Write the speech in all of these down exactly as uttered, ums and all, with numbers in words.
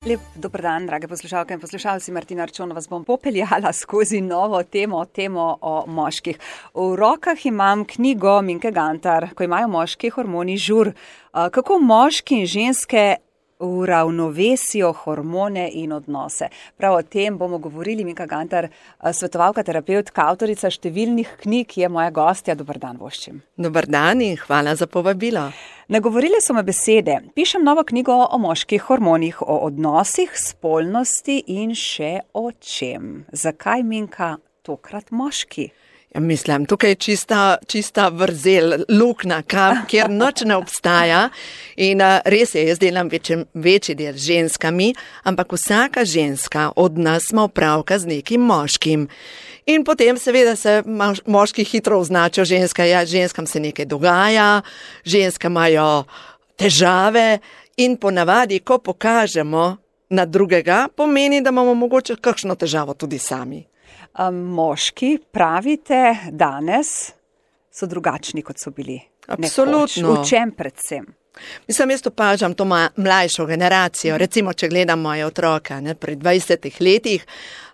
Lep dober dan, drage poslušalke in poslušalci. Martina Arčon vas bom popeljala skozi novo temo, temo o moških. V rokah imam knjigo Minke Gantar, Ko imajo moški hormoni žur. Kako moški in ženske uravnovesijo hormone in odnose. Prav o tem bomo govorili. Minka Gantar, svetovalka, terapevtka, avtorica številnih knjig, je moja gostja. Dober dan voščim. Dober dan in hvala za povabilo. Nagovorile so me besede. Pišem novo knjigo o moških hormonih, o odnosih, spolnosti in še o čem. Zakaj, Minka, tokrat moški? Ja, mislim, tukaj je čista, čista vrzel, luknja, kjer noč ne obstaja. In uh, res je, jaz delam večji, večji del z ženskami, ampak vsaka ženska od nas ima opravka z nekim moškim. In potem seveda se moški hitro označijo ženska, ja, ženskam se nekaj dogaja, ženske imajo težave in ponavadi, ko pokažemo na drugega, pomeni, da imamo mogoče kakšno težavo tudi sami. Um, moški, pravite, danes so drugačni, kot so bili. Absolutno. Nekoč. V čem predvsem? Mislim, jaz opažam to mlajšo generacijo, recimo, če gledam moje otroke, ne, pri dvajsetih letih,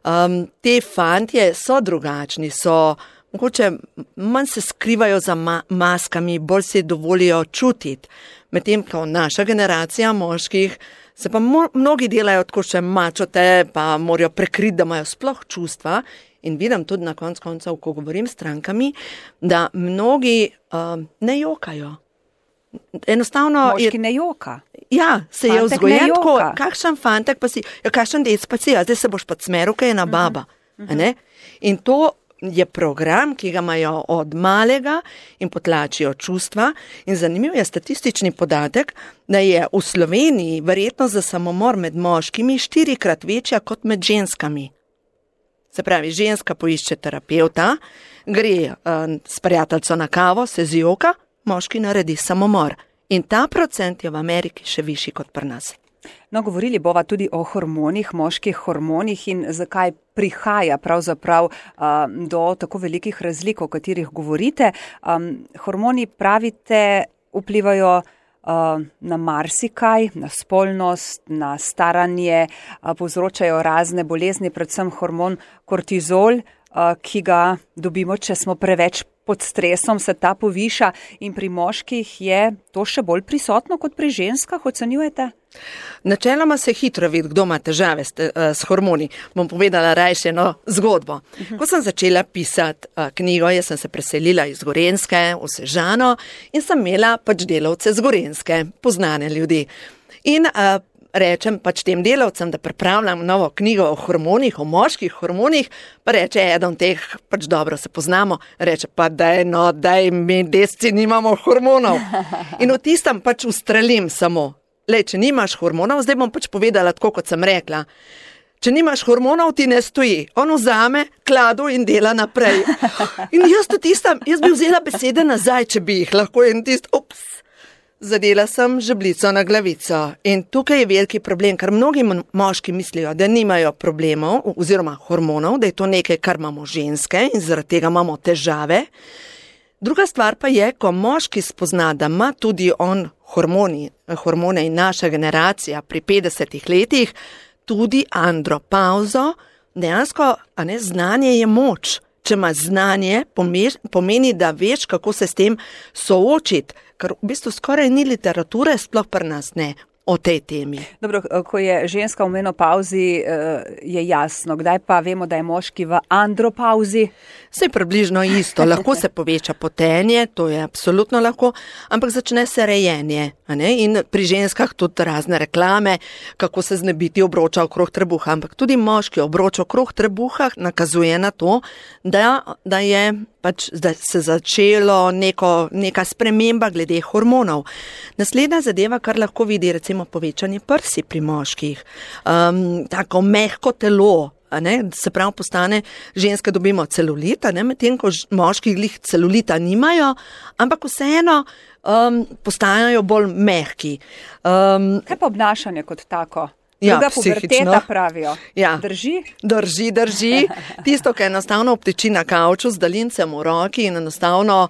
um, te fantje so drugačni, so, mogoče manj se skrivajo za ma maskami, bolj se dovolijo čutiti, medtem ko naša generacija moških se pa mnogi delajo tako še mačote, pa morajo prekriti, da imajo sploh čustva. In vidim tudi na konc koncev, ko govorim s strankami, da mnogi uh, ne jokajo. Enostavno moški je, ne joka. Ja, se fantek je vzgojen tako, kakšen fantek pa si, ja, kakšen dec pa si, a zdaj se boš pa smeru, kaj je ena baba. Uh -huh. Ne? In to je program, ki ga imajo od malega in potlačijo čustva. In zanimiv je statistični podatek, da je v Sloveniji verjetnost za samomor med moškimi štirikrat večja kot med ženskami. Se pravi, ženska poišče terapevta, gre uh, s prijateljco na kavo, se zjoka, moški naredi samomor. In ta procent je v Ameriki še višji kot pri nas. No, govorili bova tudi o hormonih, moških hormonih in zakaj prihaja pravzaprav uh, do tako velikih razlik, o katerih govorite. Um, hormoni, pravite, vplivajo uh, na marsikaj, na spolnost, na staranje, uh, povzročajo razne bolezni, predvsem hormon kortizol, uh, ki ga dobimo, če smo preveč pod stresom, se ta poviša in pri moških je to še bolj prisotno kot pri ženskah, ocenjujete? Načeloma se hitro vidi, kdo ima težave s, s hormoni. Bom povedala rajše eno zgodbo. Uh-huh. Ko sem začela pisati uh, knjigo, jaz sem se preselila iz Gorenjske v Sežano in sem imela pač delavce z Gorenjske, poznane ljudi. In uh, rečem pač tem delavcem, da pripravljam novo knjigo o hormonih, o moških hormonih, pa reče eden teh, pač dobro se poznamo, reče pa daj, no, daj, mi desci nimamo hormonov. In v tistem pač ustrelim samo. Lej, če nimaš hormonov, zdaj bom pač povedala tako, kot sem rekla. Če nimaš hormonov, ti ne stoji. On vzame kladu in dela naprej. In jaz to tistam, jaz bi vzela besede nazaj, če bi jih lahko in tist, ups, zadela sem žebljico na glavico. In tukaj je veliki problem, ker mnogi moški mislijo, da nimajo problemov oziroma hormonov, da je to nekaj, kar imamo ženske in zaradi tega imamo težave. Druga stvar pa je, ko moški spozna, da ima tudi on hormoni, hormone in naša generacija pri petdesetih letih, tudi andropauzo, dejansko, a ne, znanje je moč. Če ima znanje, pomeni, da veš, kako se s tem soočiti, ker v bistvu skoraj ni literature, sploh pri nas ne, o tej temi. Dobro, ko je ženska v menopauzi, je jasno. Kdaj pa vemo, da je moški v andropauzi? Vse je približno isto. Lahko se poveča potenje, to je absolutno lahko, ampak začne se rejenje. A ne? In pri ženskah tudi razne reklame, kako se znebiti obroča okrog trebuha. Ampak tudi moški obroč okrog trebuha nakazuje na to, da, da je pač da se začelo neko, neka sprememba glede hormonov. Naslednja zadeva, kar lahko vidi, recimo povečanje prsi pri moških, um, tako mehko telo, a ne, se pravi postane, ženske dobimo celulita, ne, medtem ko moški glih celulita nimajo, ampak vseeno um, postajajo bolj mehki. Um, Kaj pa obnašanje kot tako? Ja, druga puberteta pravijo. Ja. Drži? Drži, drži. Tisto, ki enostavno obteči na kavču z daljincem v roki in enostavno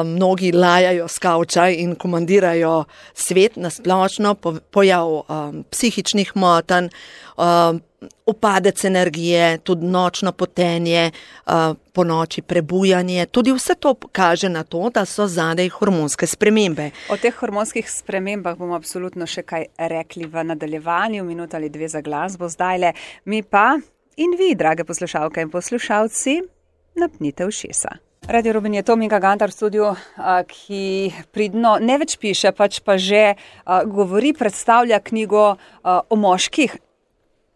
mnogi lajajo s kavča in komandirajo svet nasplošno, pojav um, psihičnih motenj, um, upadec energije, tudi nočno potenje, uh, po noči prebujanje. Tudi vse to kaže na to, da so zadaj hormonske spremembe. O teh hormonskih spremembah bomo absolutno še kaj rekli v nadaljevanju, minuta ali dve za glasbo zdajle. Mi pa in vi, drage poslušalke in poslušalci, napnite ušesa. Radio Rubin je to Minka Gantar v studiu, ki pridno ne več piše, pač pa že govori, predstavlja knjigo o moških,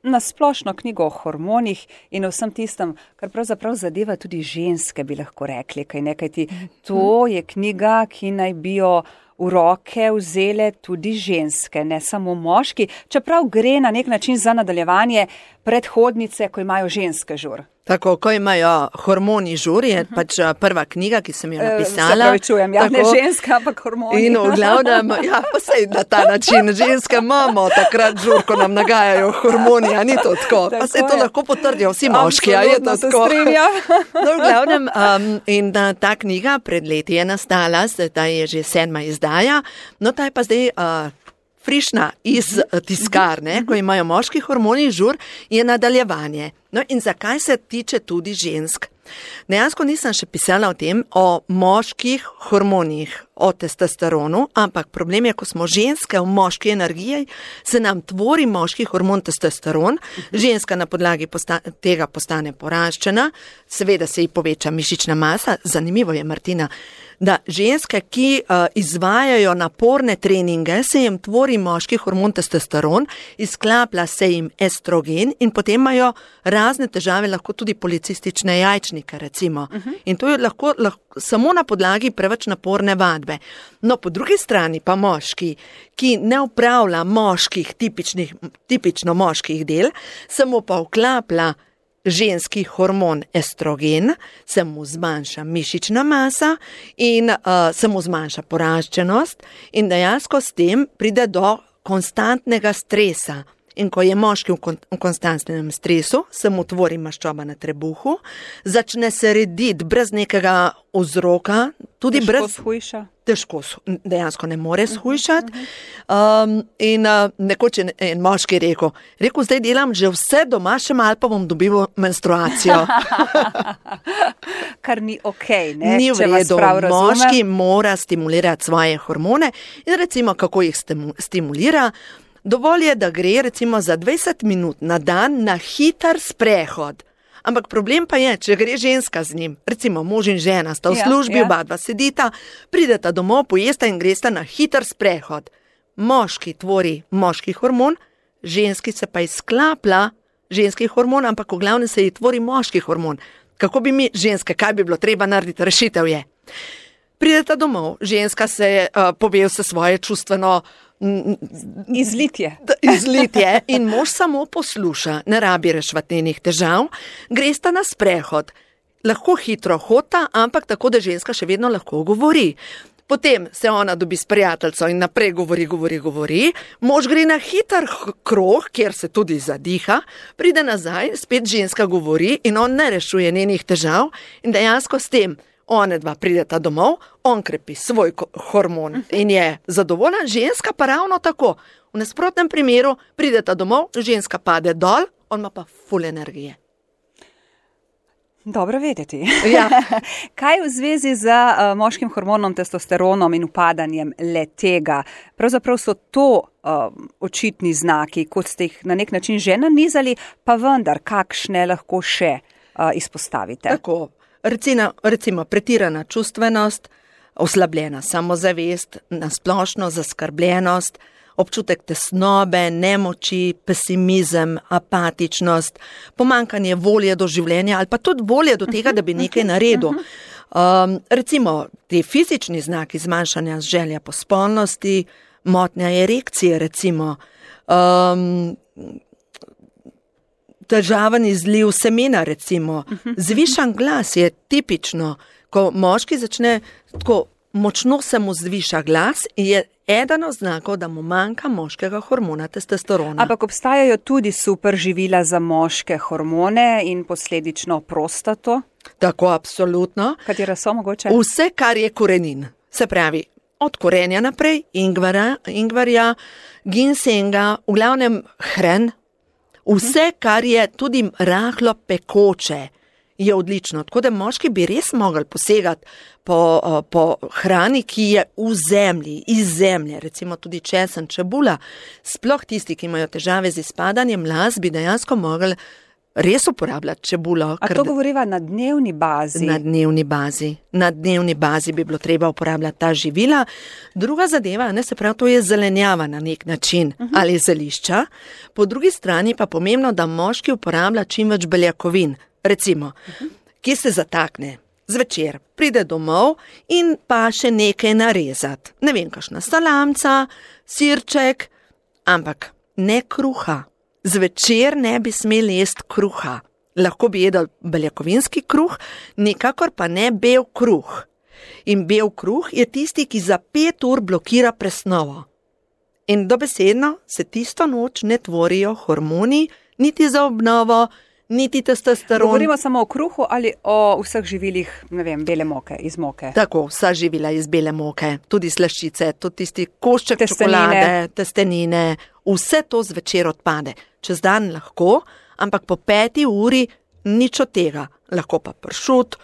nasplošno knjigo o hormonih in o vsem tistem, kar pravzaprav zadeva tudi ženske, bi lahko rekli, kaj nekaj ti. To je knjiga, ki naj bi jo v roke vzele tudi ženske, ne samo moški, čeprav gre na nek način za nadaljevanje predhodnice, ko imajo ženske žur. Tako, ko imajo hormoni žur, je pač prva knjiga, ki sem jo napisala. Se pravi čujem, ja, ne ženska, ampak hormoni. In v glavnem, ja, pa sej na ta način, ženske imamo takrat žur, ko nam nagajajo hormoni, a ni to tako. Pa sej to lahko potrdijo vsi moški, a je to tako. No, v glavnem, um, in da, ta knjiga pred leti je nastala, zdaj je že sedma izdaja, no ta je pa zdaj uh, frišna iz tiskarne, ko imajo moški hormoni žur, je nadaljevanje. No in zakaj se tiče tudi žensk? Dejansko nisem še pisala o tem, o moških hormonih, o testosteronu, ampak problem je, ko smo ženske v moški energiji, se nam tvori moški hormon testosteron, ženska na podlagi posta- tega postane poraščena, seveda se ji poveča mišična masa. Zanimivo je, Martina, da ženske, ki uh, izvajajo naporne treninge, se jim tvori moški hormon testosteron, izklaplja se jim estrogen in potem imajo razne težave, lahko tudi policistične jajčnike, recimo. Uh-huh. In to je lahko, lahko samo na podlagi preveč naporne vadbe. No, po drugi strani pa moški, ki ne upravlja moških, tipičnih, tipično moških del, samo pa vklaplja ženski hormon estrogen, se mu zmanjša mišična masa in uh, se mu zmanjša poraščenost in dejansko s tem pride do konstantnega stresa. In ko je moški v, kon- v konstantnem stresu, se mu tvori maščoba na trebuhu, začne se rediti brez nekega vzroka, tudi težko brez... shujša. Težko, dejansko ne more shujšati. Um, in uh, nekoč je en moški rekel, rekel, zdaj delam že vse doma, še malo pa bom dobil menstruacijo. Kar ni okej, ne? Ni v redu, moški mora stimulirati svoje hormone in recimo, kako jih stimu- stimulira, dovolj je, da gre recimo za dvajset minut na dan na hiter sprehod. Ampak problem pa je, če gre ženska z njim, recimo mož in žena sta v Ja, službi, ja. oba dva sedita, prideta domov, pojesta in gresta na hiter sprehod. Moški tvori moški hormon, ženski se pa izklaplja ženski hormon, ampak v glavnem se ji tvori moški hormon. Kako bi mi ženske, kaj bi bilo treba narediti? Rešitev je. Prideta domov, ženska se uh, pove vse svoje čustveno Izlitje. izlitje in mož samo posluša, ne rabi reševati njenih težav, gresta na sprehod. Lahko hitro hota, ampak tako, da ženska še vedno lahko govori. Potem se ona dobi s prijateljico in naprej govori, govori, govori. Mož gre na hiter h- krog, kjer se tudi zadiha, pride nazaj, spet ženska govori in on ne rešuje njenih težav in dejansko s tem one dva prideta domov, on krepi svoj ko- hormon in je zadovoljen, ženska pa ravno tako. V nasprotnem primeru prideta domov, ženska pade dol, on ima pa ful energije. Dobro vedeti. Ja. Kaj v zvezi z uh, moškim hormonom testosteronom in upadanjem le tega? Pravzaprav so to uh, očitni znaki, kot ste jih na nek način že nanizali, pa vendar, kakšne lahko še uh, izpostavite? Tako, recimo, recimo pretirana čustvenost, oslabljena samozavest, nasplošno zaskrbljenost, občutek tesnobe, nemoči, pesimizem, apatičnost, pomanjkanje volje do življenja ali pa tudi volje do tega, da bi nekaj naredil. Um, recimo, ti fizični znaki zmanjšanja želja po spolnosti, motnja erekcije, recimo, um, težaven izliv semena, recimo, zvišan glas je tipično, ko moški začne tako močno se mu zviša glas, je eden od znakov, da mu manjka moškega hormona testosterona. Ampak obstajajo tudi super živila za moške hormone in posledično prostato? Tako, absolutno. Katera so mogoče? Vse, kar je korenin. Se pravi, od korenja naprej, ingvara, ingvarja, ginsenga, v glavnem hren, vse, kar je tudi rahlo pekoče, je odlično. Tako da moški bi res mogli posegati po, po hrani, ki je v zemlji, iz zemlje, recimo tudi česen, čebula. Sploh tisti, ki imajo težave z izpadanjem las, bi dejansko mogli res uporabljati čebulo. A to govoriva na dnevni bazi? Na dnevni bazi. Na dnevni bazi bi bilo treba uporabljati ta živila. Druga zadeva, ne, se pravi, to je zelenjava na nek način, uh-huh. ali zelišča. Po drugi strani pa pomembno, da moški uporablja čim več beljakovin. Recimo, uh-huh. ki se zatakne zvečer, pride domov in pa še nekaj narezati. Ne vem, kakšna salamca, sirček, ampak ne kruha. Zvečer ne bi smeli jesti kruha. Lahko bi jedel beljakovinski kruh, nikakor pa ne bel kruh. In bel kruh je tisti, ki za pet ur blokira presnovo. In dobesedno se tisto noč ne tvorijo hormoni, niti za obnovo, niti testosteron. Govorimo samo o kruhu ali o vseh živilih, ne vem, bele moke, iz moke? Tako, vsa živila iz bele moke, tudi slaščice, tudi tisti košček čokolade, testenine, vse to zvečer odpade. Čez dan lahko, ampak po peti uri nič od tega. Lahko pa pršut,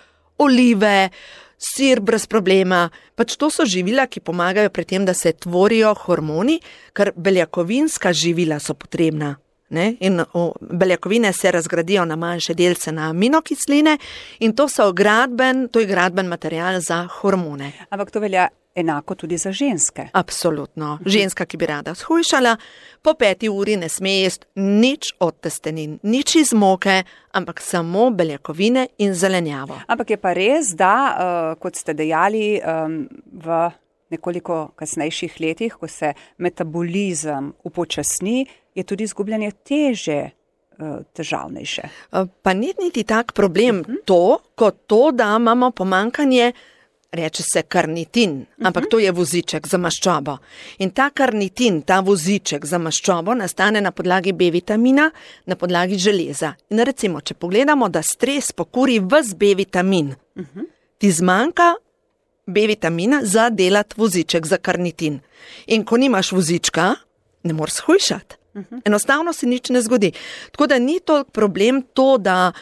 olive, sir brez problema. Pač to so živila, ki pomagajo pri tem, da se tvorijo hormoni, ker beljakovinska živila so potrebna. Ne? In o, beljakovine se razgradijo na manjše delce, na aminokisline in to so gradben, to je gradben material za hormone. Ampak to velja enako tudi za ženske. Absolutno. Ženska, ki bi rada shujšala, po peti uri ne sme jesti nič od testenin, nič iz moke, ampak samo beljakovine in zelenjavo. Ampak je pa res, da, uh, kot ste dejali, um, v nekoliko kasnejših letih, ko se metabolizem upočasni, je tudi izgubljanje teže uh, težavnejše. Pa ni niti tak problem uh-huh. to, kot to, da imamo pomanjkanje, reče se karnitin, ampak uh-huh. to je voziček za maščobo. In ta karnitin, ta voziček za maščobo nastane na podlagi B vitamina, na podlagi železa. In recimo, če pogledamo, da stres pokuri ves B vitamin, uh-huh. ti zmanjka B vitamina za delati voziček za karnitin. In ko nimaš vozička, ne moreš shujšati. Enostavno se nič ne zgodi. Tako da ni to problem to, da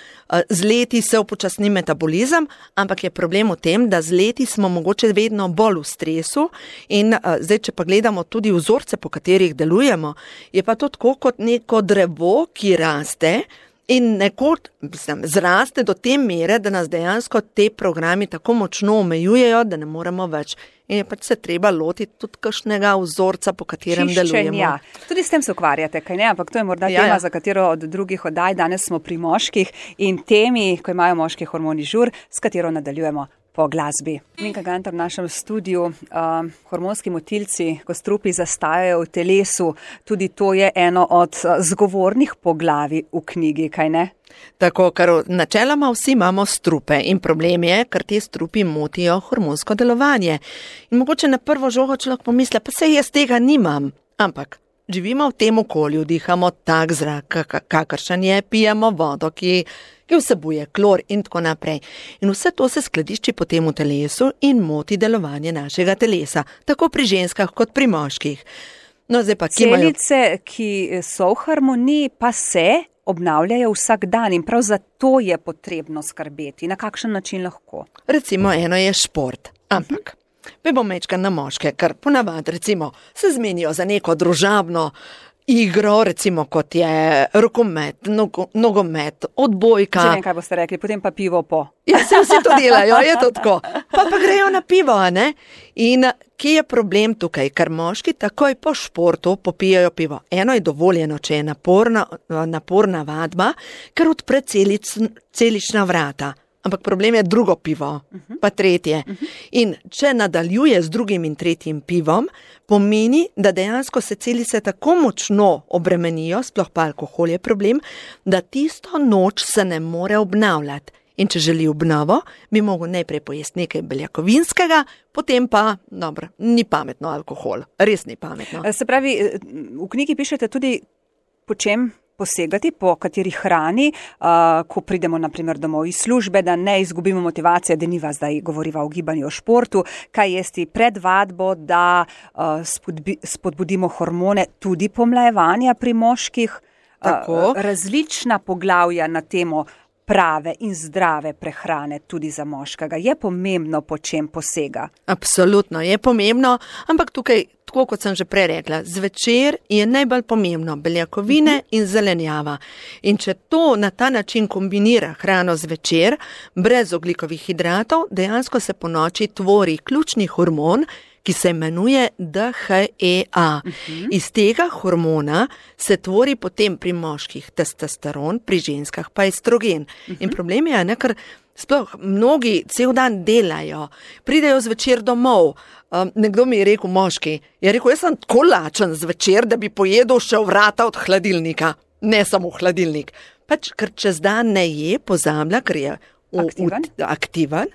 z leti se upočasni metabolizem, ampak je problem v tem, da z leti smo mogoče vedno bolj v stresu in zdaj, če pa gledamo tudi vzorce, po katerih delujemo, je pa to tako kot neko drevo, ki raste in nekod mislim, zraste do te mere, da nas dejansko te programi tako močno omejujejo, da ne moremo več. In je pač se treba lotiti tudi kakšnega vzorca, po katerem Čiščenja. delujemo. Ja. Tudi s tem se ukvarjate, kaj ne? Ampak to je morda ja, tema, ja. za katero od drugih oddaj. Danes smo pri moških in temi, ko imajo moški hormoni žur, s katero nadaljujemo po glasbi. Minka Gantar v našem studiu, uh, hormonski motilci, ko strupi zastajajo v telesu, tudi to je eno od uh, zgovornih poglavij v knjigi, kaj ne? Tako, ker načeloma vsi imamo strupe in problem je, ker te strupi motijo hormonsko delovanje. In mogoče na prvo žogo človek pomisli, pa se jaz tega nimam, ampak živimo v tem okolju, dihamo tak zrak, kakršen je, pijemo vodo, ki, ki vsebuje klor in tako naprej. In vse to se skladišči potem v telesu in moti delovanje našega telesa, tako pri ženskah kot pri moških. No, zdaj pa, ki Celice, imajo... ki so v harmoniji, pa se obnavljajo vsak dan in prav zato je potrebno skrbeti. Na kakšen način lahko? Recimo eno je šport, ampak me bom mečka na moške, ker ponavadi recimo se zmenijo za neko družabno igro, recimo kot je rokomet, nogo, nogomet, odbojka. Že vem, kaj boste rekli, potem pa pivo po. Ja, se vsi to delajo, je to tako. Pa pa grejo na pivo, a ne? In kje je problem tukaj? Ker moški takoj po športu popijajo pivo. Eno je dovoljeno, če je naporna, naporna vadba, ker odpre celic, celična vrata. Ampak problem je drugo pivo, pa tretje. In če nadaljuje z drugim in tretjim pivom, pomeni, da dejansko se celice tako močno obremenijo, sploh pa alkohol je problem, da tisto noč se ne more obnavljati. In če želi obnovo, bi mogel najprej pojesti nekaj beljakovinskega, potem pa, dobro, ni pametno alkohol, res ni pametno. Se pravi, v knjigi pišete tudi, po čem posegati, po kateri hrani, uh, ko pridemo naprimer domov iz službe, da ne izgubimo motivacije, da niva zdaj govoriva o gibanju, o športu, kaj jesti pred vadbo, da uh, spodbi, spodbudimo hormone tudi pomlajevanja pri moških. Uh, različna poglavja na temo prave in zdrave prehrane tudi za moškega. Je pomembno, po čem posega? Absolutno je pomembno, ampak tukaj, tako kot sem že prej rekla, zvečer je najbolj pomembno beljakovine uh-huh. in zelenjava. In če to na ta način kombinira hrano zvečer, brez ogljikovih hidratov, dejansko se po noči tvori ključni hormon, ki se imenuje D H E A. Uh-huh. Iz tega hormona se tvori potem pri moških testosteron, pri ženskah pa estrogen. Uh-huh. In problem je, ne, ker sploh mnogi cel dan delajo, pridejo zvečer domov. Um, nekdo mi je rekel, moški, je rekel, jaz sem tako lačen zvečer, da bi pojedel še vrata od hladilnika. Ne samo hladilnik. Pač, ker čez dan ne je, pozablja, ker je aktiven. U, aktiven.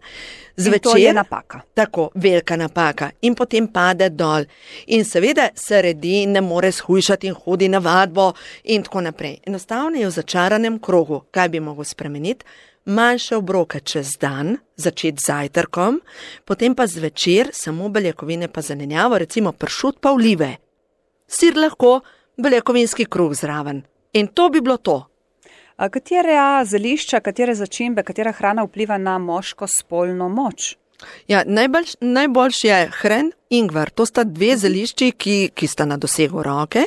Zvečer, in to je napaka. Tako, velika napaka. In potem pade dol. In seveda se redi, ne more shujšati in hodi na vadbo in tako naprej. Enostavno je v začaranem krogu. Kaj bi mogel spremeniti? Manjše obroke čez dan, začeti z zajtrkom, potem pa zvečer samo beljakovine pa zelenjavo, recimo pršut pa olive. Sir lahko, beljakovinski kruh zraven. In to bi bilo to. A katere zelišča, katere začimbe, katera hrana vpliva na moško spolno moč? Ja, najboljš, najboljš je hren, ingver. To sta dve zelišči, ki, ki sta na dosegu roke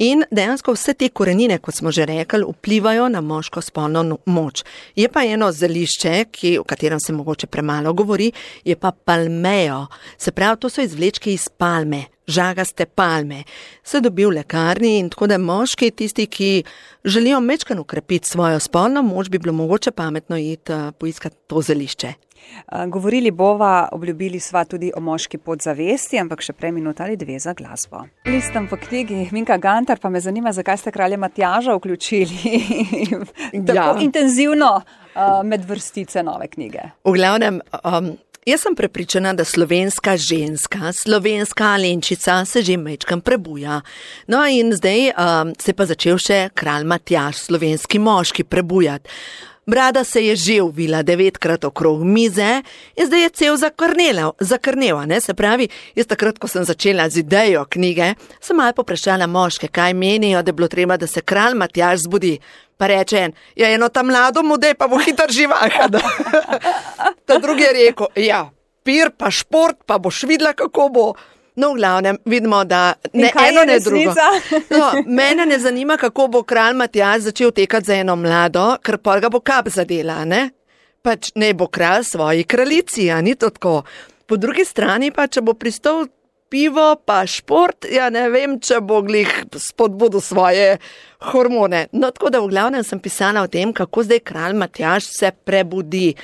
in dejansko vse te korenine, kot smo že rekli, vplivajo na moško spolno moč. Je pa eno zelišče, ki, o katerem se mogoče premalo govori, je pa palmejo. Se pravi, to so izvlečki iz palme. Žagaste palme, se dobi v lekarni in tako da moški, tisti, ki želijo mečkan ukrepiti svojo spolno moč, bi bilo mogoče pametno iti uh, poiskati to zelišče. Govorili bova, obljubili sva tudi o moški podzavesti, ampak še prej minuta ali dve za glasbo. Listam po knjigi Minka Gantar, pa me zanima, zakaj ste kralja Matjaža vključili tako ja. intenzivno uh, med vrstice nove knjige. V glavnem, um, jaz sem prepričana, da slovenska ženska, slovenska Alenčica se že mečkam prebuja. No in zdaj um, se pa začel še kralj Matjaž, slovenski moški, prebujati. Brada se je že uvila devetkrat okrog mize in zdaj je cel zakrnela, ne? Se pravi, jaz takrat, ko sem začela z idejo knjige, sem malo poprašala moške, kaj menijo, da je bilo treba, da se kralj Matjaž zbudi. Pa reče en, ja, eno tam mlado mudej, pa bo hitro živaha. Ta drugi je rekel, ja, pir pa šport, pa boš videla, kako bo. No, v glavnem, vidimo, da ne eno, ne drugo. No, mene ne zanima, kako bo kralj Matjaž začel tekati za eno mlado, ker pol ga bo kap zadela, ne? Pač ne bo kralj svoji kraljici, a ni to tako. Po drugi strani pa, če bo pristal pivo pa šport, ja ne vem, če bo glih spodbudil svoje hormone. No, tako da v glavnem sem pisala o tem, kako zdaj kralj Matjaž se prebudi.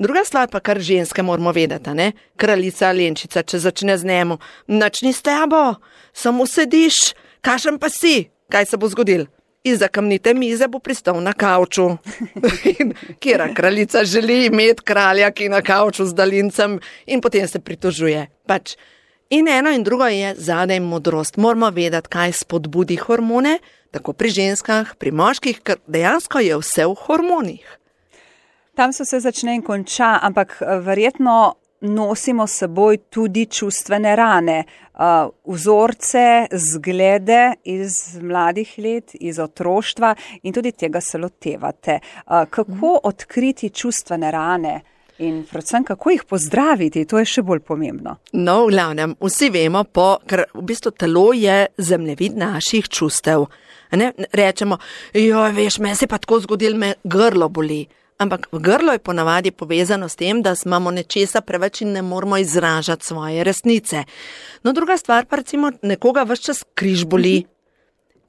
Druga stvar pa, kar ženske moramo vedeti, ne? Kraljica Alenčica, če začne z njemu, nič ni s tebo, samo sediš, kašem pa si, kaj se bo zgodil? Izza kamnite mize bo pristal na kavču. Kjera kraljica želi imeti kralja, ki na kavču z dalincem in potem se pritožuje. Pač. In eno in drugo je zadaj modrost. Moramo vedeti, kaj spodbudi hormone, tako pri ženskah, pri moških, ker dejansko je vse v hormonih. Tam so se začne in konča, ampak verjetno nosimo s seboj tudi čustvene rane, uh, vzorce, zglede iz mladih let, iz otroštva in tudi tega se lotevate. Uh, kako odkriti čustvene rane in predvsem kako jih pozdraviti, to je še bolj pomembno. No, v glavnem, vsi vemo, po, ker v bistvu telo je zemljevid naših čustev. Ne? Rečemo, joj, veš, meni se pa tako zgodil, me grlo boli. Ampak grlo je ponavadi povezano s tem, da imamo nečesa preveč in ne moramo izražati svoje resnice. No, druga stvar pa recimo nekoga ves čas križ boli.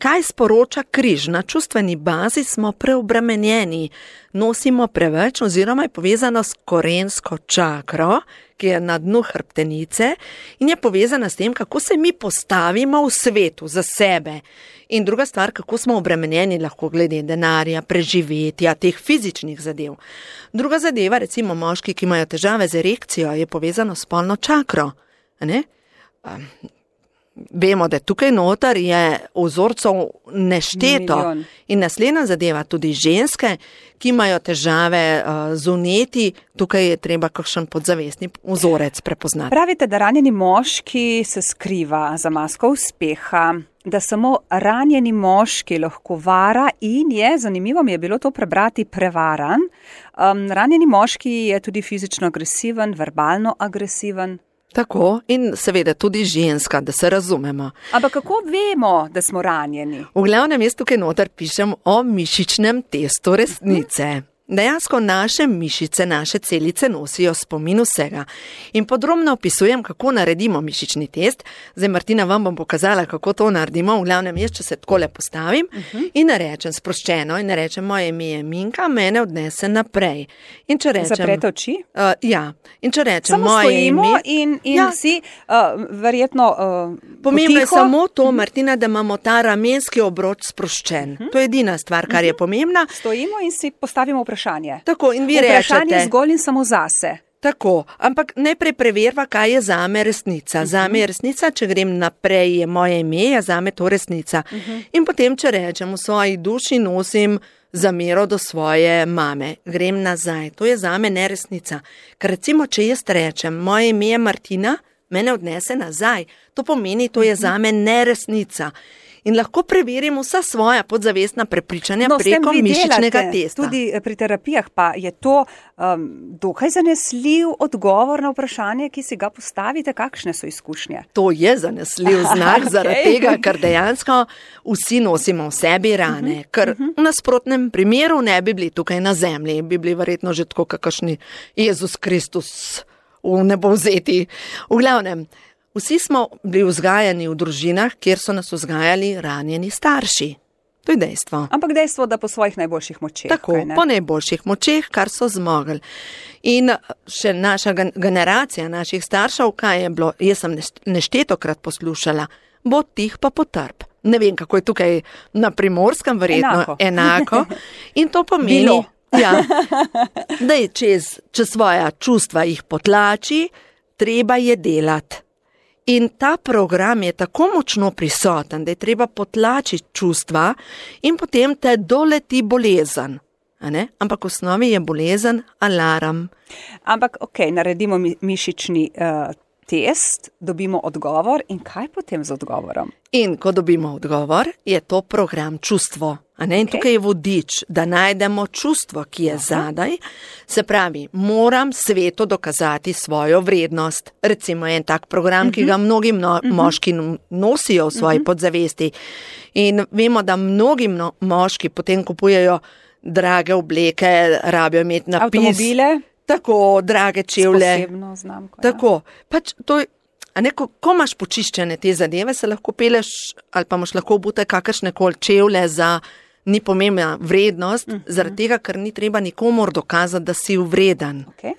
Kaj sporoča križ? Na čustveni bazi smo preobremenjeni, nosimo preveč oziroma je povezano s korensko čakro, ki je na dnu hrbtenice in je povezana s tem, kako se mi postavimo v svetu za sebe. In druga stvar, kako smo obremenjeni lahko glede denarja, preživetja, teh fizičnih zadev. Druga zadeva, recimo moški, ki imajo težave z erekcijo, je povezano s spolno čakro. Ne? vemo, da tukaj noter je vzorcev nešteto. Milijon. In naslednja zadeva, tudi ženske, ki imajo težave uh, z vneti, tukaj je treba kakšen podzavestni vzorec prepoznati. Pravite, da ranjeni moški se skriva za masko uspeha, da samo ranjeni moški lahko vara in je, zanimivo mi je bilo to prebrati, prevaran. Um, ranjeni moški je tudi fizično agresiven, verbalno agresiven. Tako, in seveda tudi ženska, da se razumemo. Ampak kako vemo, da smo ranjeni? V glavnem jaz tukaj noter pišem o mišičnem testu resnice. Dejansko naše mišice, naše celice nosijo spomin vsega. In podrobno opisujem, kako naredimo mišični test. Zdaj, Martina, vam bom pokazala, kako to naredimo. V glavnem jaz, če se takole postavim uh -huh. in rečem sproščeno in rečem, moje ime je Minka, mene odnese naprej. In če rečem... Zaprete oči? Uh, ja. In če rečem, samo moje stojimo ime... in, in ja. si uh, verjetno uh, Pomembno je potiho. samo to, Martina, da imamo ta ramenski obroč sproščen. Uh -huh. To je edina stvar, kar uh -huh. je pomembna. Stojimo in si postavimo vprašanje. Tako, in vi vprašanje rečete, zgolj in samo zase. Tako, ampak najprej preverva, kaj je zame resnica. Uh -huh. Zame je resnica, če grem naprej, je moje ime, je zame to resnica. Uh -huh. In potem, če rečem, v svoji duši nosim zamero do svoje mame, grem nazaj. To je zame neresnica. Ker recimo, če jaz rečem, moje ime je Martina, mene odnese nazaj. To pomeni, to je zame neresnica. In lahko preverimo vsa svoja podzavestna prepričanja no, preko mišičnega testa. Tudi pri terapijah pa je to um, dokaj zanesljiv odgovor na vprašanje, ki si ga postavite, kakšne so izkušnje. To je zanesljiv znak, okay. zaradi tega, ker dejansko vsi nosimo v sebi rane. Uh -huh. Ker uh -huh. v nasprotnem primeru ne bi bili tukaj na zemlji, bi bili verjetno že tako kakšni Jezus Kristus v nebo vzeti. V glavnem, vsi smo bili vzgajani v družinah, kjer so nas vzgajali ranjeni starši. To je dejstvo. Ampak dejstvo, da po svojih najboljših močeh. Tako, po najboljših močeh, kar so zmogli. In še naša generacija, naših staršev, kaj je bilo, jaz sem neštetokrat poslušala, bo tih pa potrp. Ne vem, kako je tukaj na Primorskem, verjetno enako. enako. In to pomeni, Bilo. ja, da je čez, čez svoja čustva jih potlači, treba je delati. In ta program je tako močno prisoten, da je treba potlačiti čustva in potem te doleti bolezen. A ne? Ampak v osnovi je bolezen alarm. Ampak, ok, naredimo mi, mišični uh, test, dobimo odgovor in kaj potem z odgovorom? In ko dobimo odgovor, je to program čustvo. A ne? In okay. tukaj je vodič, da najdemo čustvo, ki je Aha. zadaj. Se pravi, moram svetu dokazati svojo vrednost. Recimo en tak program, uh-huh. ki ga mnogi mno, uh-huh. moški nosijo v svoji uh-huh. podzavesti. In vemo, da mnogi mno, moški potem kupujejo drage obleke, rabijo imeti napis. Avtomobile. Tako, drage čevlje. Posebno znamko. Tako, pač to je. A ne, ko, ko imaš počiščene te zadeve, se lahko peleš ali pa imaš lahko obute kakršne koli čevlje za ni pomembna vrednost, uh-huh. zaradi tega, ker ni treba nikomor dokazati, da si vreden. Okay.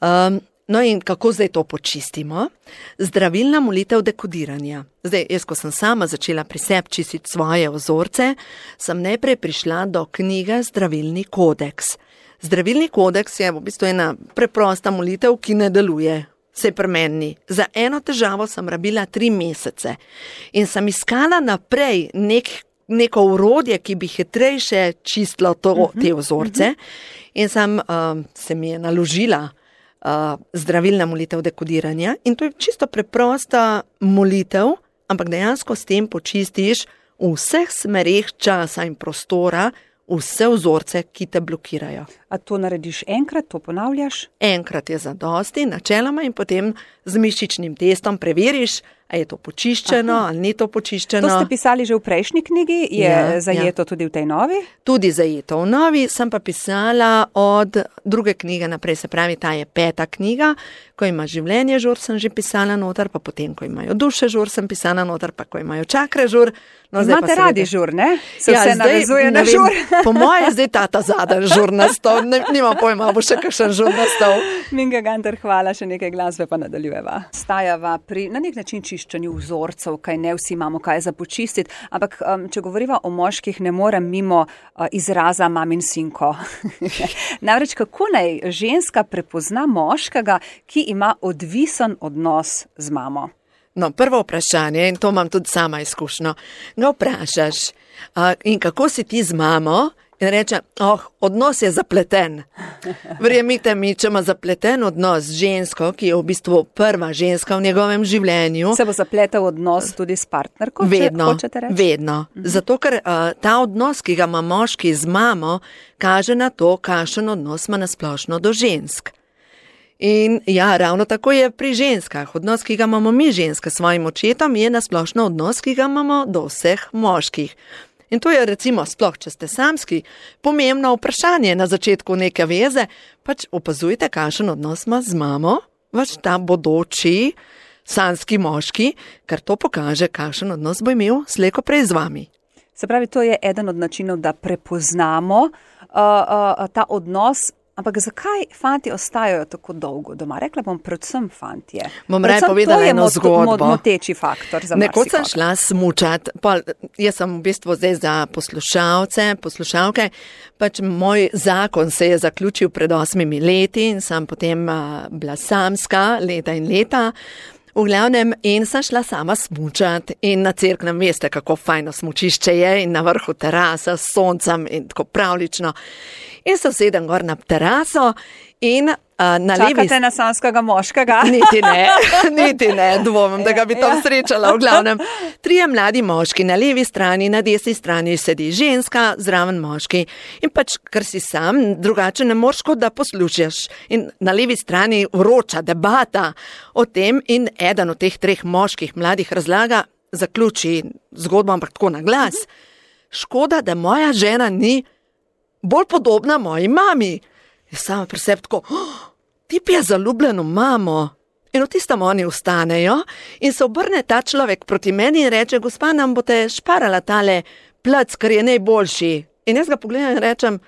Um, no in kako zdaj to počistimo? Zdravilna molitev dekodiranja. Zdaj, jaz, ko sem sama začela pri sebi čistiti svoje vzorce, sem najprej prišla do knjige Zdravilni kodeks. Zdravilni kodeks je v bistvu ena preprosta molitev, ki ne deluje. Se premeni. Za eno težavo sem rabila tri mesece in sem iskala naprej nek, neko urodje, ki bi hitrejše čistilo to, uh-huh, te vzorce uh-huh. in sem, uh, se mi je naložila uh, zdravilna molitev dekodiranja in to je čisto preprosta molitev, ampak dejansko s tem počistiš v vseh smereh časa in prostora vse vzorce, ki te blokirajo. A to narediš enkrat, to ponavljaš? Enkrat je zadosti, načeloma, in potem z mišičnim testom preveriš, a je to počiščeno, Aha. ali ni to počiščeno. To ste pisali že v prejšnji knjigi, je ja, zajeto ja. tudi v tej novi? Tudi zajeto v novi, sem pa pisala od druge knjige naprej, se pravi, ta je peta knjiga, ko ima življenje žur, sem že pisala noter, pa potem, ko imajo duše žur, sem pisala noter, pa ko imajo čakre žur. No, imate radi žur, ne? Se ja, vse zdaj, navezuje na žur. Vem, po moje zdaj tata zadaj žur nastal, ne, nimam pojma, bo še kakšen žur nastal. Minka Gantar, hvala, še nekaj glasbe pa nadaljujeva. Stajava pri na nek način čiščenju vzorcev, kaj ne vsi imamo kaj za počistiti, ampak um, če govoriva o moških, ne morem mimo uh, izraza mamin sinko. Namreč, kako naj ženska prepozna moškega, ki ima odvisen odnos z mamo? No, prvo vprašanje, in to imam tudi sama izkušnjo, ga vprašaš, uh, in kako si ti z mamo? In reče, oh, odnos je zapleten. Verjemite mi, če ima zapleten odnos z žensko, ki je v bistvu prva ženska v njegovem življenju. Se bo zapletel odnos tudi s partnerko, vedno, če hočete reči? Vedno. Mhm. Zato, ker uh, ta odnos, ki ga ima moški z mamo, kaže na to, kakšen odnos ima nasplošno do žensk. In ja, ravno tako je pri ženskah. Odnos, ki ga imamo mi ženske s svojim očetom, je nasplošno odnos, ki ga imamo do vseh moških. In to je recimo, sploh če ste samski, pomembno vprašanje na začetku neke veze, pač opazujte, kakšen odnos ima z mamo, vaš ta bodoči samski moški, ker to pokaže, kakšen odnos bo imel slejko prej z vami. Se pravi, to je eden od načinov, da prepoznamo uh, uh, ta odnos. Ampak zakaj fanti ostajajo tako dolgo doma? Rekla bom predvsem fantje. Bom raje povedala eno zgodbo. To je moteči faktor za marsikoga. Nekoč sem šla smučat, pa jaz sem v bistvu zdaj za poslušalce, poslušalke, pač moj zakon se je zaključil pred osmimi leti in sem potem uh, bila samska leta in leta. V glavnem, in sem šla sama smučat in na Cerknem, veste, kako fajno smučišče je in na vrhu terasa s soncem in tako pravlično. In se usedem gor na teraso in uh, na Čakate levi... Čakate na samskega moškega? Niti ne, niti ne, dvomim, da ga bi tam srečala. V glavnem, trije mladi moški na levi strani, na desni strani sedi ženska, zraven moški. In pač, ker si sam, drugače ne moreš, kot da poslušaš. In na levi strani vroča debata o tem in eden od teh treh moških mladih razlaga, zaključi zgodbo, ampak tako na glas. Škoda, da moja žena ni bolj podobna moji mami. Jaz sama pri sebi tako, oh, ti pa je zaljubljen v mamo. In v tistem oni vstanejo in se obrne ta človek proti meni in reče, gospa, nam boste šparala tale plac, ker je najboljši. In jaz ga pogledam in rečem,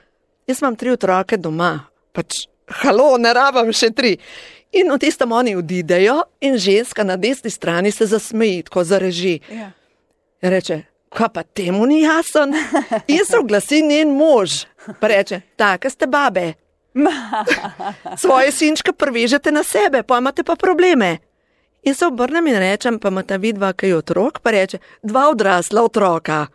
jaz imam tri otroke doma, pač, halo, ne rabam še tri. In v tistem oni odidejo in ženska na desni strani se zasmeji, tako zareži. Ja. In reče, kaj pa temu ni jasen? In se oglasi njen mož. Pa reče, take ste babe. Svoje sinčke prvežete na sebe, pa imate pa probleme. In se obrnem in rečem, pa imata vidva kaj otrok, pa reče, dva odrasla otroka.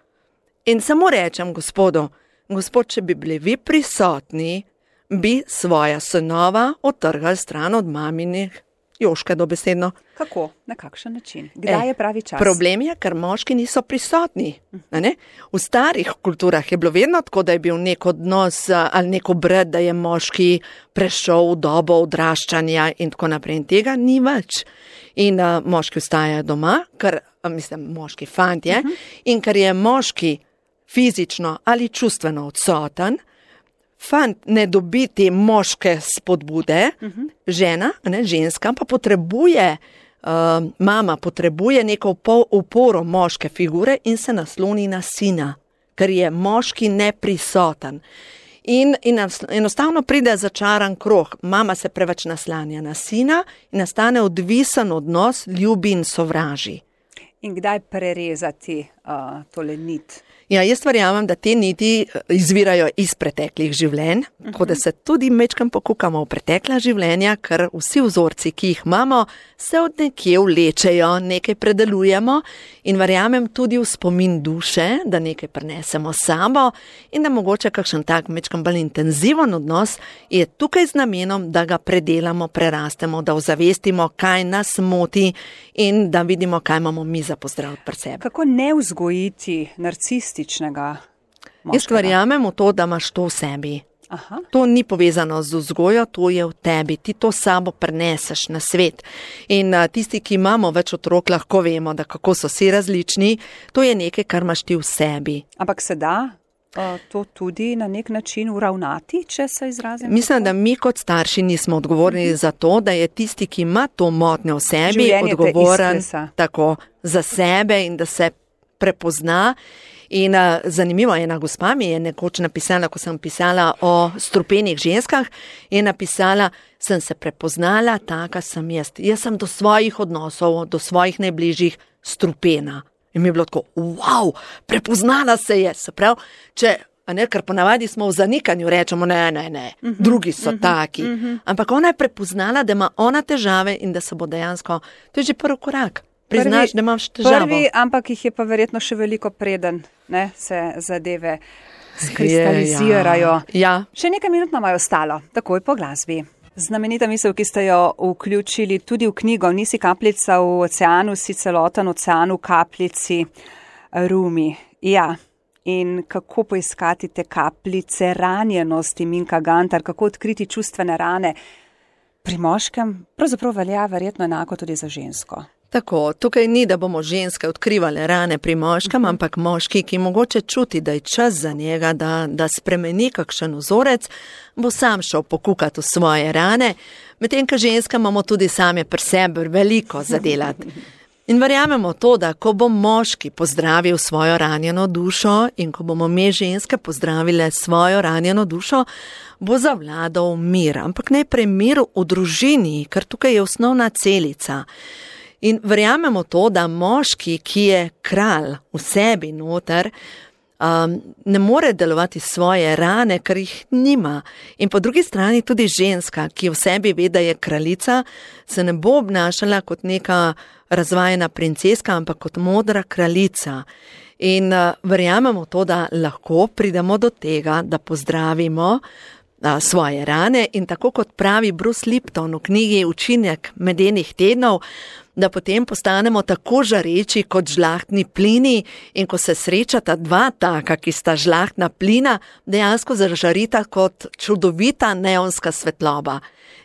In samo rečem gospodu, gospod, če bi bili vi prisotni, bi svoja sinova otrgali stran od maminih Joške dobesedno. Kako? Na kakšen način? Kdaj e, je pravi čas? Problem je, ker moški niso prisotni. Ne? V starih kulturah je bilo vedno tako, da je bil nek odnos ali nek obred, da je moški prešel v dobo odraščanja in tako naprej. In tega ni več. In uh, moški ostajajo doma, ker, mislim, moški fantje, uh -huh. in ker je moški fizično ali čustveno odsoten, fant ne dobi te moške spodbude, uh -huh. žena, ne, ženska pa potrebuje, uh, mama potrebuje neko uporo moške figure in se nasloni na sina, ker je moški neprisoten. In, in enostavno pride začaran krog, mama se preveč naslanja na sina in nastane odvisen odnos, ljubi in sovraži. In kdaj prerezati uh, tole nit? Ja, jaz verjamem, da te niti izvirajo iz preteklih življenj, uh-huh. tako da se tudi mečkam pokukamo v pretekla življenja, ker vsi vzorci, ki jih imamo, se od nekje vlečejo, nekaj predelujemo in verjamem tudi v spomin duše, da nekaj prinesemo sabo in da mogoče kakšen tak mečkam bolj intenziven odnos je tukaj z namenom, da ga predelamo, prerastemo, da ozavestimo, kaj nas moti in da vidimo, kaj imamo mi za pozdrav pri sebi. Kako ne vzgojiti narcist? Jaz verjamem v to, da imaš to v sebi. Aha. To ni povezano z vzgojo, to je v tebi. Ti to sabo preneseš na svet. In uh, tisti, ki imamo več otrok, lahko vemo, da kako so vsi različni. To je nekaj, kar imaš ti v sebi. Ampak se da uh, to tudi na nek način uravnati, če se izrazim? Mislim, da mi kot starši nismo odgovorni uh-huh. za to, da je tisti, ki ima to motnjo v sebi, življenje odgovoren tako za sebe in da se prepozna. In uh, zanimivo, ena gospa mi je nekoč napisala, ko sem pisala o strupenih ženskah, je napisala, sem se prepoznala, taka sem jaz. Jaz sem do svojih odnosov, do svojih najbližjih strupena. In mi je bilo tako, wow, prepoznala se je. Se pravi, če, a ne, ker ponavadi smo v zanikanju, rečemo, ne, ne, ne, uh -huh, drugi so uh -huh, taki. Uh -huh. Ampak ona je prepoznala, da ima ona težave in da se bo dejansko, to je že prvi korak. priznaš, prvi, da imaš težavo. Prvi, ampak jih je pa verjetno še veliko preden, ne, se zadeve skristalizirajo. Je, ja. Še nekaj minut nam je ostalo, takoj po glasbi. Znamenita misel, ki ste jo vključili tudi v knjigo Nisi kapljica v oceanu, si celoten ocean v kapljici, Rumi. Ja, in kako poiskati te kapljice ranjenosti, Minka Gantar, kako odkriti čustvene rane pri moškem, pravzaprav velja verjetno enako tudi za žensko. Tako, tukaj ni, da bomo ženske odkrivale rane pri moškem, uh-huh. ampak moški, ki mogoče čuti, da je čas za njega, da, da spremeni kakšen vzorec, bo sam šel pokukati v svoje rane, medtem ko ženska imamo tudi same pri sebi veliko zadelati. In verjamemo to, da ko bo moški pozdravil svojo ranjeno dušo in ko bomo mi ženske pozdravile svojo ranjeno dušo, bo zavladal mir, ampak najprej mir v družini, ker tukaj je osnovna celica. In verjamemo to, da moški, ki je kralj v sebi noter, um, ne more delovati svoje rane, ker jih nima. In po drugi strani tudi ženska, ki v sebi ve, da je kraljica, se ne bo obnašala kot neka razvajena princeska, ampak kot modra kraljica. In uh, verjamemo to, da lahko pridemo do tega, da pozdravimo uh, svoje rane in tako kot pravi Bruce Lipton v knjigi Učinek medenih tednov, da potem postanemo tako žareči kot žlahtni plini in ko se srečata dva taka, ki sta žlahtna plina, dejansko zažarita kot čudovita neonska svetloba.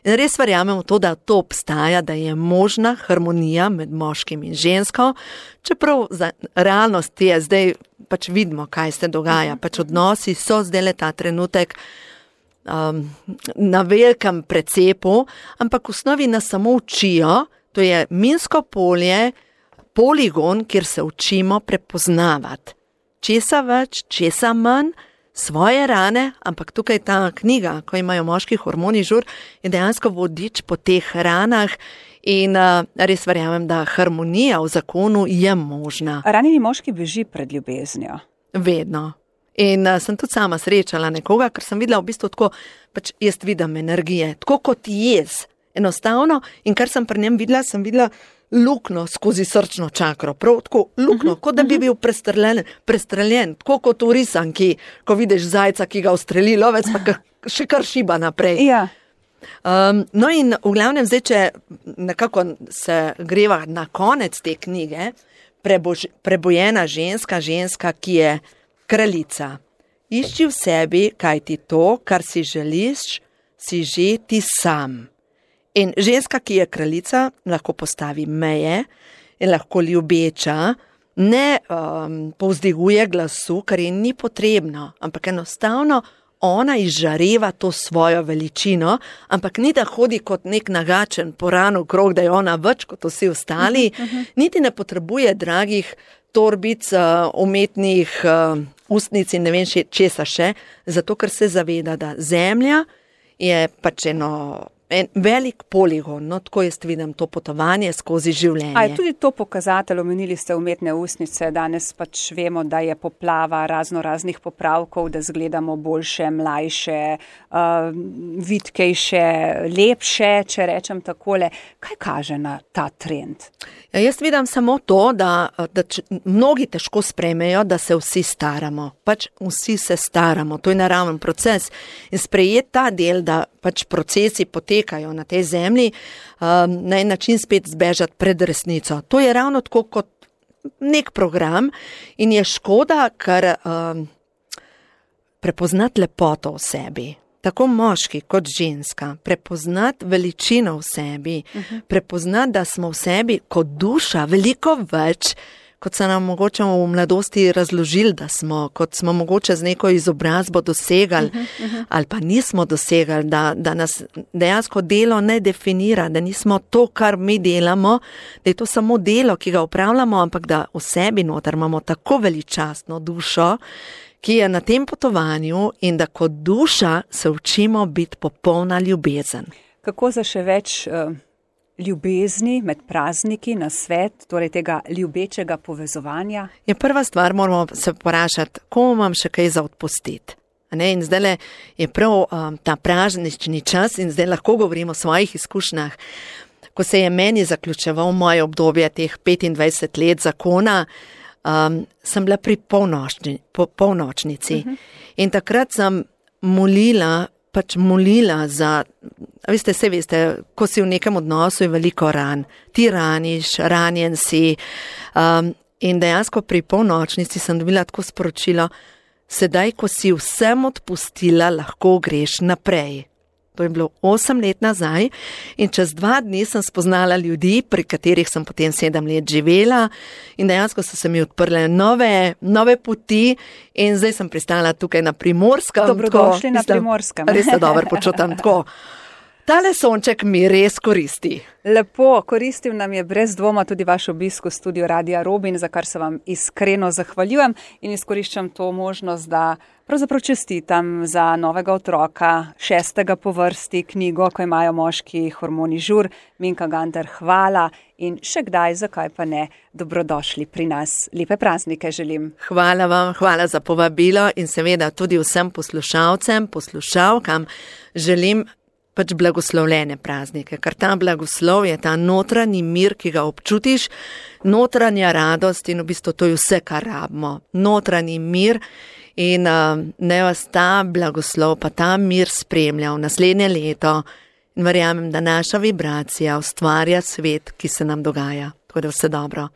In res verjamemo to, da to obstaja, da je možna harmonija med moškim in žensko, čeprav za realnost je zdaj, pač vidimo, kaj se dogaja, pač odnosi so zdaj le ta trenutek um, na velikem precepu, ampak v osnovi nas samo učijo. To je minsko polje, poligon, kjer se učimo prepoznavati. Česa več, česa manj, svoje rane, ampak tukaj ta knjiga, ko imajo moški hormoni žur, je dejansko vodič po teh ranah in uh, res verjamem, da harmonija v zakonu je možna. Ranjeni moški beži pred ljubeznijo. Vedno. In uh, sem tudi sama srečala nekoga, ker sem videla v bistvu tako, pač jaz vidim energije, tako kot jaz. Enostavno, in kar sem pri njem videla, sem videla lukno skozi srčno čakro, prav tako lukno, uh-huh, kot da bi bil prestreljen, prestreljen, tako kot v risanki, ko vidiš zajca, ki ga ustreli lovec, pa ka, še kar šiba naprej. Ja. Um, no in v glavnem zdaj, če nekako se greva na konec te knjige, prebož, prebojena ženska, ženska, ki je kraljica. Išči v sebi, kaj ti to, kar si želiš, si že ti sam. In ženska, ki je kraljica, lahko postavi meje in lahko ljubeča, ne um, povzdiguje glasu, kar je ni potrebno, ampak enostavno ona izžareva to svojo veličino, ampak ni da hodi kot nek nagačen poran okrog, da je ona več kot vsi ostali, uh-huh, uh-huh. Niti ne potrebuje dragih torbic, uh, umetnih uh, ustnic in ne vem še, česa še, zato ker se zaveda, da zemlja je pač eno en velik poligon, no, tako jaz vidim to potovanje skozi življenje. A je tudi to pokazatelj, omenili ste umetne ustnice, danes pač vemo, da je poplava razno raznih popravkov, da zgledamo boljše, mlajše, uh, vitkejše, lepše, če rečem takole. Kaj kaže na ta trend? Ja, jaz vidim samo to, da, da č, mnogi težko sprejmejo, da se vsi staramo. Pač vsi se staramo, to je naraven proces. In sprejeti ta del, da pač procesi potekajo na tej zemlji, um, na en način spet zbežati pred resnico. To je ravno tako kot nek program in je škoda, ker um, prepoznati lepoto v sebi. Tako moški kot ženska, prepoznati veličino v sebi, uh-huh. prepoznati, da smo v sebi kot duša veliko več, kot so nam mogoče v mladosti razložili, da smo, kot smo mogoče z neko izobrazbo dosegali uh-huh, uh-huh. ali pa nismo dosegali, da, da nas dejansko delo ne definira, da nismo to, kar mi delamo, da je to samo delo, ki ga upravljamo, ampak da v sebi noter imamo tako veličastno dušo, ki je na tem potovanju in da kot duša se učimo biti popolna ljubezen. Kako za še več uh, ljubezni med prazniki na svet, torej tega ljubečega povezovanja? Je prva stvar, moramo se vprašati, komu imam še kaj za odpustiti. Ne? In zdaj je prav um, ta praznični čas in zdaj lahko govorimo o svojih izkušnjah. ko se je meni zaključeval moje obdobje teh petindvajset let zakona, um, sem bila pri polnočni, po, polnočnici. Uh-huh. In takrat sem molila, pač molila za, veste, se veste, ko si v nekem odnosu je veliko ran. Ti raniš, ranjen si. Um, in dejansko pri polnočnici sem dobila tako sporočilo, sedaj, ko si vsem odpustila, lahko greš naprej. To je bilo osem let nazaj in čez dva dni sem spoznala ljudi, pri katerih sem potem sedem let živela in dejansko so se mi odprle nove, nove poti in zdaj sem pristala tukaj na Primorskem. Dobrodošli tako, na Primorskem. Res se dobro počutam tako. Tale sonček mi res koristi. Lepo, koristil nam je brez dvoma tudi vaš obisk v studiu Radia Robin, za kar se vam iskreno zahvaljujem in izkoriščam to možnost, da pravzaprav čestitam za novega otroka, šestega po vrsti knjigo, ko imajo moški hormoni žur. Minka Gantar, hvala in še kdaj, zakaj pa ne, dobrodošli pri nas. Lepe praznike želim. Hvala vam, hvala za povabilo in seveda tudi vsem poslušalcem, poslušalkam želim pač blagoslovljene praznike, ker ta blagoslov je ta notranji mir, ki ga občutiš, notranja radost in v bistvu to je vse, kar rabimo. Notranji mir in uh, ne vas ta blagoslov, pa ta mir spremlja v naslednje leto in verjamem, da naša vibracija ustvarja svet, ki se nam dogaja. Tako da vse dobro.